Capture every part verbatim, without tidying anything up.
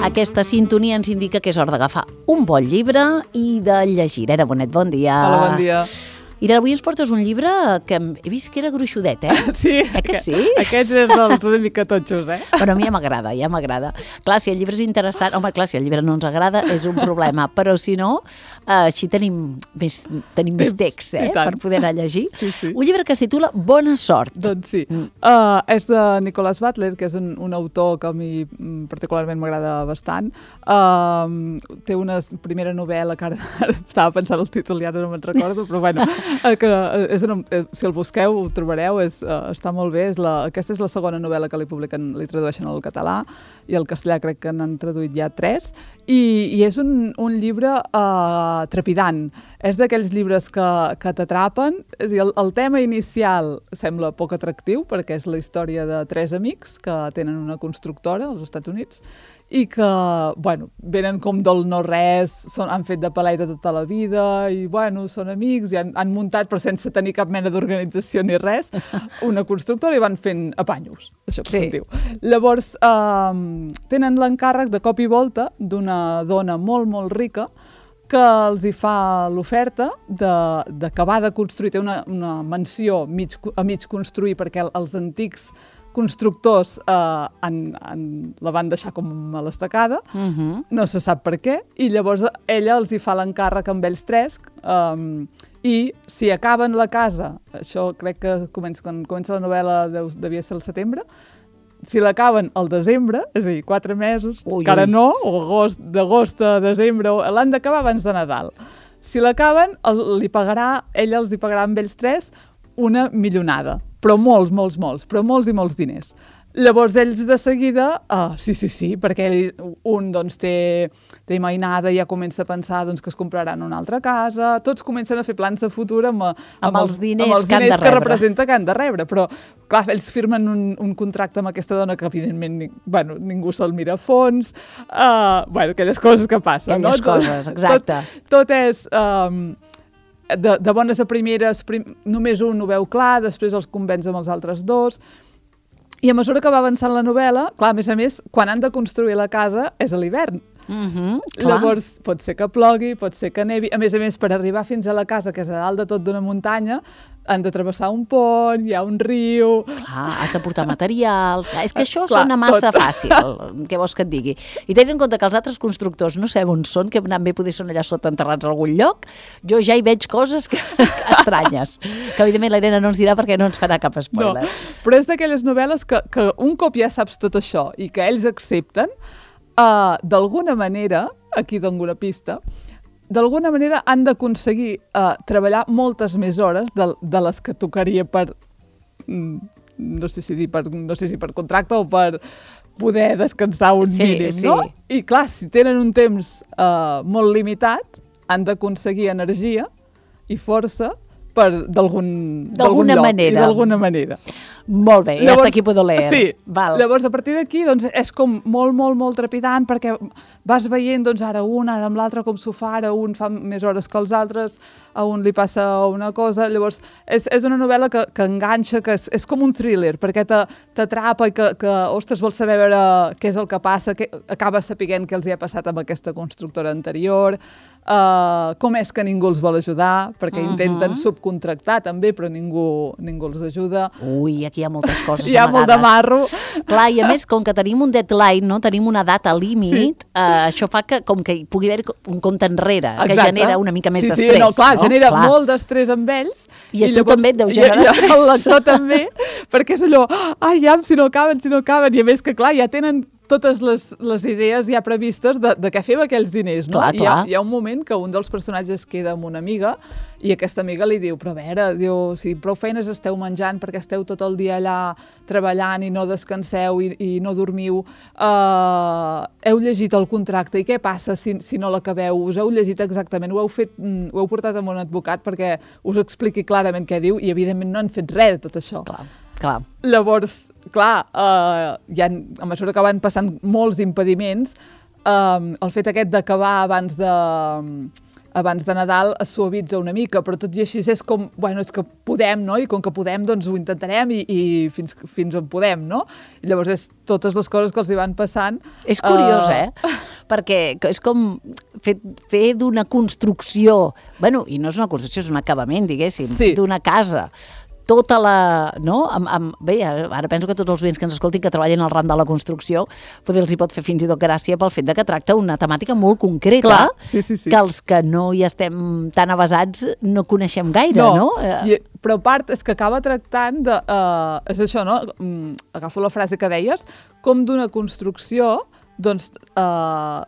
Aquesta sintonia ens indica que és hora d'agafar un bon llibre i de llegir. Irene Bonet, bon dia. Hola, bon dia. Irene, avui ens portes un llibre que he vist que era gruixudet, eh? Sí, eh que sí? Aquests és dels una mica totxos, eh? Però a mi ja m'agrada, ja m'agrada. Clar, si el llibre és interessant, home, clar, si el llibre no ens agrada és un problema, però si no, eh, així tenim més, tenim més text, eh? Per poder anar a llegir. Sí, sí. Un llibre que es titula Bona sort. Doncs sí. Mm. Uh, és de Nicholas Butler, que és un, un autor que a mi particularment m'agrada bastant. Uh, té una primera novel·la que ara, ara estava pensant el títol i ara no me'n recordo, però bueno, que és una, si el busqueu ho trobareu, és, uh, està molt bé. És la, aquesta és la segona novel·la que li publiquen, li tradueixen al català, i al castellà crec que n'han traduït ja tres, i, i és un, un llibre uh, trepidant. És d'aquells llibres que, que t'atrapen. És a dir, el, el tema inicial sembla poc atractiu, perquè és la història de tres amics que tenen una constructora als Estats Units, i que, bueno, venen com del no-res, són, han fet de paleta tota la vida, i, bueno, són amics, i han, han muntat, però sense tenir cap mena d'organització ni res, una constructora, i van fent apanyos, això que sí. se'n diu. Llavors, eh, tenen l'encàrrec de cop i volta d'una dona molt, molt rica, que els hi fa l'oferta d'acabar de, de construir, té una, una mansió mig, a mig construir, perquè els antics constructors eh, en, en, la van deixar com a l'estacada, uh-huh. no se sap per què, i llavors ella els hi fa l'encàrrec amb ells tres, um, i si acaben la casa, això crec que comença, quan comença la novel·la deu, devia ser el setembre, si l'acaben al desembre, és a dir, quatre mesos, ui, encara ui. no, o agost, d'agost a desembre, l'han d'acabar abans de Nadal. Si l'acaben, li pagarà, ella els hi pagarà amb ells tres una milionada, però molts, molts, molts, però molts i molts diners. Llavors ells de seguida, uh, sí, sí, sí, perquè un doncs, té, té mainada i ja comença a pensar doncs, que es compraran una altra casa, tots comencen a fer plans de futur amb, amb, amb els diners, amb els que, diners han que representa que han de rebre, però clar, ells firmen un, un contracte amb aquesta dona que evidentment bueno, ningú se'l mira a fons, uh, bueno, aquelles coses que passen. Aquelles no? coses, exacte. Tot, tot és... Um, De, de bones a primeres, prim, només un ho veu clar, després els convenç amb els altres dos, i a mesura que va avançant la novel·la, clar, a més a més, quan han de construir la casa és a l'hivern. Uh-huh, Llavors, pot ser que plogui, pot ser que nevi, a més a més, per arribar fins a la casa, que és a dalt de tot d'una muntanya, han de travessar un pont, hi ha un riu... Clar, has de portar materials... És que això clar, sona massa tot. fàcil, què vols que et digui. I tenint en compte que els altres constructors no sabem on són, que bé poder són allà sota enterrats a algun lloc, jo ja hi veig coses que, estranyes, que evidentment la Irene no ens dirà perquè no ens farà cap spoiler. No, però és d'aquelles novel·les que, que un cop ja saps tot això i que ells accepten, uh, d'alguna manera, aquí dono una pista, d'alguna manera han d'aconseguir uh, treballar moltes més hores de, de les que tocaria per, mm, no sé si dir per, no sé si per contracte o per poder descansar un sí, mínim, sí. no? I clar, si tenen un temps uh, molt limitat, han d'aconseguir energia i força per d'algun d'alguna lloc manera. i d'alguna manera. Molt bé, llavors, hasta aquí puedo leer. Sí, Val. llavors a partir d'aquí doncs, és com molt, molt, molt trepidant perquè vas veient doncs, ara un, ara amb l'altre com s'ho fa, ara un fa més hores que els altres, a un li passa una cosa, llavors és, és una novel·la que, que enganxa, que és, és com un thriller, perquè t'atrapa i que, que, ostres, vols saber veure què és el que passa, que acaba sapiguent què els hi ha passat amb aquesta constructora anterior, uh, com és que ningú els vol ajudar, perquè uh-huh. intenten subcontractar també, però ningú, ningú els ajuda. Ui, aquí hi ha moltes coses hi ha amagades. molt de marro. Clar, i a més, com que tenim un deadline, no? Tenim una data límit, sí. eh, això fa que com que hi pugui haver un compte enrere, Exacte. que genera una mica més sí, d'estrès. Sí, no, clar, no? genera clar. molt d'estrès amb ells. I a i tu llavors, també et deu generar i, estrès. I el lector també, perquè és allò, ai, ja, si no acaben, si no acaben, i a més que, clar, ja tenen totes les, les idees ja previstes de, de què fem aquells diners, no? Clar, I hi ha, clar. hi ha un moment que un dels personatges queda amb una amiga i aquesta amiga li diu, però a veure, diu, si prou feines esteu menjant perquè esteu tot el dia allà treballant i no descanseu i, i no dormiu, uh, heu llegit el contracte i què passa si, si no l'acabeu? Us heu llegit exactament? Ho heu, fet, ho heu portat amb un advocat perquè us expliqui clarament què diu i evidentment no han fet res de tot això. Clar. Clar. Llavors, clar, uh, ja, a mesura que van passant molts impediments, uh, el fet aquest d'acabar abans de, abans de Nadal es suavitza una mica, però tot i així és com, bueno, és que podem, no? I com que podem, doncs ho intentarem i, i fins, fins on podem, no? I llavors és totes les coses que els hi van passant. És curiós, uh... eh? Perquè és com fer, fer d'una construcció, bueno, i no és una construcció, és un acabament, diguéssim, sí. d'una casa, tota la... No? Amb, amb, bé, ara penso que tots els oients que ens escoltin que treballen al ram de la construcció, poder els hi pot fer fins i tot gràcia pel fet de que tracta una temàtica molt concreta. Clar, sí, sí, sí. Que els que no hi estem tan avasats no coneixem gaire, no? no? I, però a part és que acaba tractant de... Uh, és això, no? Um, agafo la frase que deies, com d'una construcció, doncs, uh,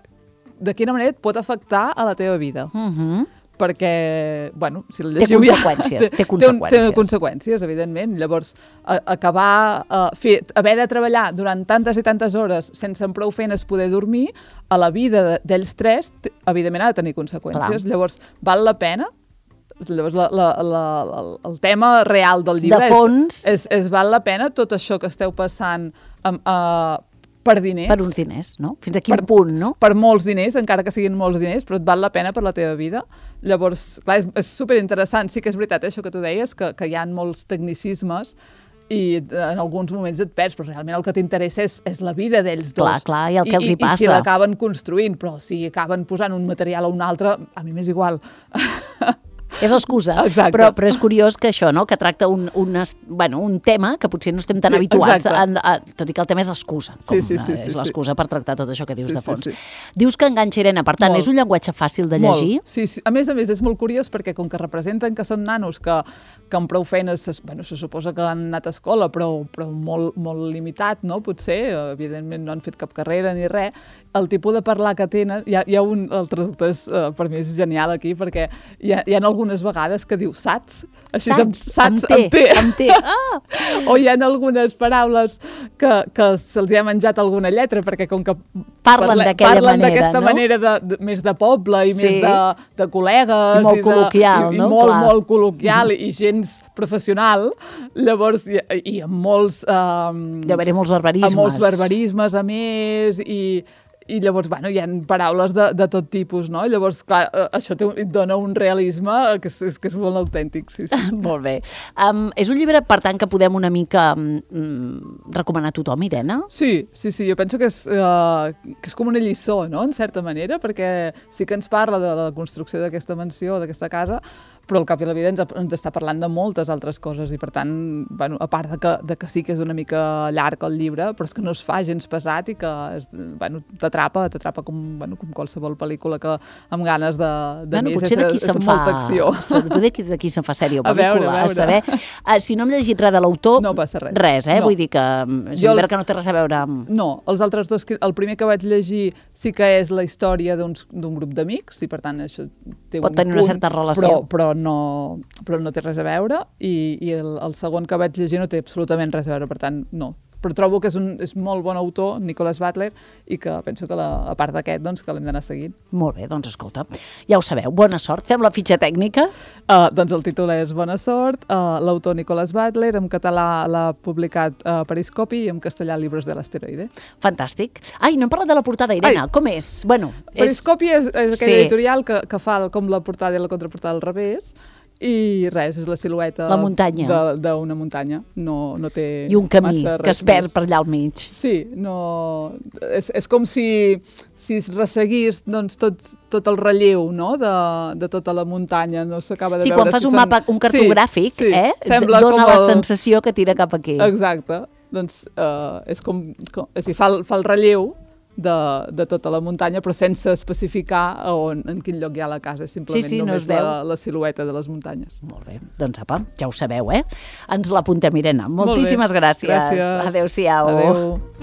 de quina manera et pot afectar a la teva vida. Mhm. Perquè, bueno, si la llegiu... Té conseqüències, té conseqüències. Té, té conseqüències, evidentment. Llavors, a, acabar, a fer, haver de treballar durant tantes i tantes hores sense amb prou feines poder dormir, a la vida d'ells tres, evidentment ha de tenir conseqüències. Clar. Llavors, val la pena? Llavors, la, la, la, la, el tema real del llibre de fons... és, és, és val la pena tot això que esteu passant amb... Uh, per diners. Per uns diners, no? Fins a quin per, punt, no? Per molts diners, encara que siguin molts diners, però et val la pena per la teva vida. Llavors, clar, és, és superinteressant. Sí que és veritat, eh, això que tu deies, que, que hi ha molts tecnicismes i en alguns moments et perds, però realment el que t'interessa és, és la vida d'ells dos. Clar, clar, i el que els hi I, passa. I si l'acaben construint, però si acaben posant un material a un altre, a mi m'és igual. És l'excusa, però, però és curiós que això, no? Que tracta un, un, bueno, un tema que potser no estem tan sí, habituats, a, a, tot i que el tema és l'excusa, com sí, sí, sí, és l'excusa sí. per tractar tot això que dius sí, de fons. Sí, sí. Dius que enganxa, Irene, per tant, molt. És un llenguatge fàcil de llegir? Molt. Sí, sí, a més a més és molt curiós perquè com que representen que són nanos que, que amb prou feines, bueno, se suposa que han anat a escola, però, però molt, molt limitat, no? Potser, evidentment no han fet cap carrera ni res, el tipus de parlar que tenen, hi ha, hi ha un, el traductor és, uh, per mi és genial aquí, perquè hi ha, hi ha algunes vegades que diu saps, així saps, saps amb té, amb té. Ah! O hi ha algunes paraules que, que se'ls ha menjat alguna lletra, perquè com que parlen parle, d'aquella parlen manera, d'aquesta no? manera de, de, més de poble i sí. més de, de col·legues. I molt i de, col·loquial, i, no? I molt, Clar. molt col·loquial mm-hmm. i gens professional, llavors, i, i amb molts... Um, Deu haver-hi molts barbarismes. Amb molts barbarismes, a més, i... I llavors, bueno, hi ha paraules de, de tot tipus, no? Llavors, clar, això té, et dona un realisme que és, que és molt autèntic, sí, sí. Molt bé. Um, és un llibre, per tant, que podem una mica um, recomanar a tothom, Irene? Sí, sí, sí, jo penso que és, uh, que és com una lliçó, no?, en certa manera, perquè sí que ens parla de la construcció d'aquesta mansió, d'aquesta casa, però al cap i a la vida ens, ens està parlant de moltes altres coses i, per tant, bueno, a part de que, de que sí que és una mica llarg el llibre, però és que no es fa gens pesat i que és, bueno, t'atrapa, t'atrapa com, bueno, com qualsevol pel·lícula que amb ganes de, de bueno, més. Potser d'aquí se'n fa... acció. Potser d'aquí se'n fa sèrie o pel·lícula. A veure, a veure. A saber, uh, si no hem llegit res de l'autor... No passa res. Res, eh? No. Vull dir que és un llibre els... que no té res a veure amb... No, els altres dos, el primer que vaig llegir sí que és la història d'un grup d'amics i, per tant, això té pot un tenir punt, una certa relació. Però, però no... però no té res a veure i, i el, el segon que vaig llegir no té absolutament res a veure, per tant, no. Però trobo que és un és molt bon autor, Nicholas Butler, i que penso que la, a part d'aquest, doncs, que l'hem d'anar seguint. Molt bé, doncs escolta, ja ho sabeu, bona sort. Fem la fitxa tècnica? Uh, doncs el títol és Bona sort, uh, l'autor Nicholas Butler, en català l'ha publicat uh, Periscopi i en castellà Libros de l'asteroide. Fantàstic. Ai, no hem parlat de la portada, Irene, Ai. Com és? Bueno, Periscopi és, és aquella sí. editorial que, que fa com la portada i la contraportada al revés, i res, és la silueta la muntanya. d'una muntanya. No, no té I un camí que es perd més. per allà al mig. Sí, no... És, és com si, si es resseguís doncs, tot, tot el relleu, no?, de, de tota la muntanya. No s'acaba de sí, veure quan fas si un són... mapa, un cartogràfic, sí, sí. eh, Sembla dona com la el... sensació que tira cap aquí. Exacte. Doncs uh, és com... com és dir, fa, el, fa el relleu de, de tota la muntanya, però sense especificar on, en quin lloc hi ha la casa, simplement sí, sí, només no la, la silueta de les muntanyes. Molt bé, doncs apa, ja ho sabeu, eh? Ens l'apuntem, Irene. Moltíssimes gràcies. Gràcies. Adéu-siau. Adéu.